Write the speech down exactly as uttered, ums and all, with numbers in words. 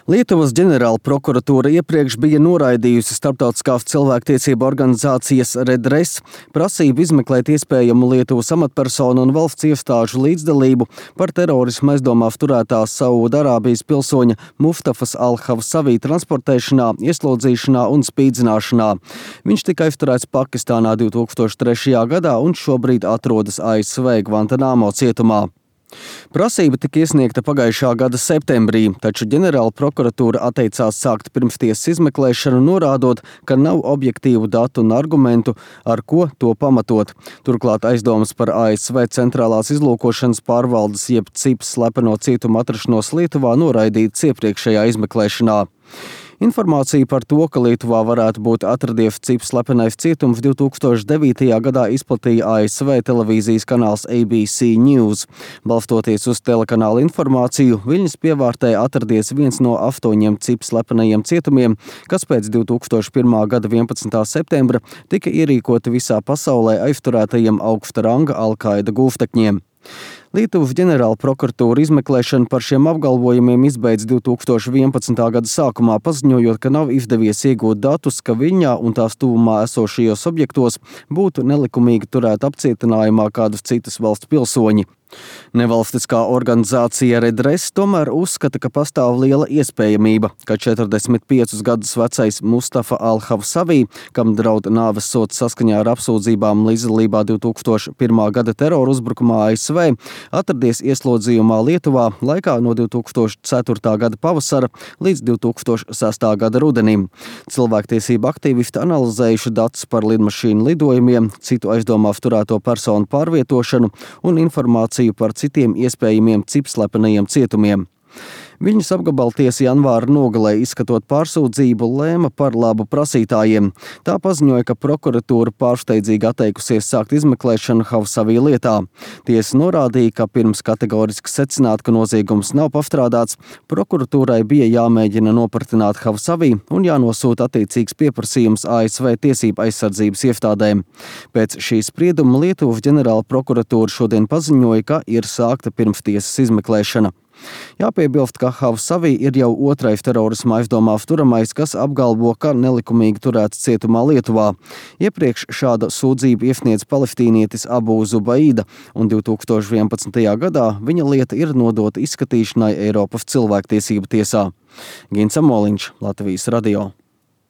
Lietuvas ģenerāla prokuratūra iepriekš bija noraidījusi starptautiskās cilvēktiesību organizācijas Redress prasību izmeklēt iespējamu Lietuvas amatpersonu un valsts iestāžu līdzdalību par terorismu aizdomās turētās Saūdarābijas pilsoņa Muftafas al-Havsavī transportēšanā, ieslodzīšanā un spīdzināšanā. Viņš tika aizturēts Pakistānā divi tūkstoši trešajā gadā un šobrīd atrodas A S V Gvantanamo cietumā. Prasība tika iesniegta pagājušā gada septembrī, taču ģenerāla prokuratūra atteicās sākt pirmstiesas izmeklēšanu, norādot, ka nav objektīvu datu un argumentu, ar ko to pamatot. Turklāt aizdomas par A S V centrālās izlūkošanas pārvaldes jeb CIPS slepeno cietumu atrašanos Lietuvā noraidīts iepriekšējā izmeklēšanā. Informācija par to, ka Lietuvā varētu būt atradies CIPS slepenais cietums, divi tūkstoši devītajā gadā izplatīja A S V televīzijas kanāls A B C News. Balstoties uz telekanāla informāciju, Viļņas pievārtē atradies viens no astoņiem CIPS slepenajiem cietumiem, kas pēc divi tūkstoši pirmā gada vienpadsmitā septembra tika ierīkoti visā pasaulē aizturētajiem augsta ranga Al-Qaida gūstekņiem. Lietuvas ģenerāla prokuratūra izmeklēšanu par šiem apgalvojumiem izbeidz divi tūkstoši vienpadsmitā gada sākumā, paziņojot, ka nav izdevies iegūt datus, ka Viļņā un tās tuvumā esošajos objektos būtu nelikumīgi turēti apcietinājumā kādus citus valsts pilsoņi. Nevalstiskā organizācija Redress tomēr uzskata, ka pastāv liela iespējamība, ka četrdesmit piecus gadus vecais Mustafa al-Havsavī, kam draud nāves sods saskaņā ar apsūdzībām līdzdalībā divi tūkstoši pirmā gada terora uzbrukumā A S V, atradies ieslodzījumā Lietuvā laikā no divi tūkstoši ceturtā gada pavasara līdz divi tūkstoši sestā gada rudenim. Cilvēktiesību aktīvisti analizējuši datus par lidmašīnu lidojumiem, citu aizdomās turēto personu pārvietošanu un informāciju par citiem iespējamiem CIPS slepenajiem cietumiem. Viļņas apgabaltiesa janvāra nogalē izskatot pārsūdzību lēma par labu prasītājiem. Tā paziņoja, ka prokuratūra pārsteidzīgi atteikusies sākt izmeklēšanu Havsavī lietā. Tiesa norādīja, ka pirms kategoriski secināt, ka noziegums nav pastrādāts, prokuratūrai bija jāmēģina nopratināt Havsavī un jānosūta attiecīgs pieprasījums A S V tiesību aizsardzības iestādēm. Pēc šī sprieduma Lietuvas ģenerāla prokuratūra šodien paziņoja, ka ir sākta pirmstiesas izmeklēšana. Jāpiebilst, ka Havsavī ir jau otrais terorisma aizdomās turamais, kas apgalvo, ka nelikumīgi turēts cietumā Lietuvā. Iepriekš šāda sūdzība iesniedz palestīnietis Abu Zubaida, un divi tūkstoši vienpadsmitajā gadā viņa lieta ir nodota izskatīšanai Eiropas cilvēktiesību tiesā. Gins Amoliņš, Latvijas radio.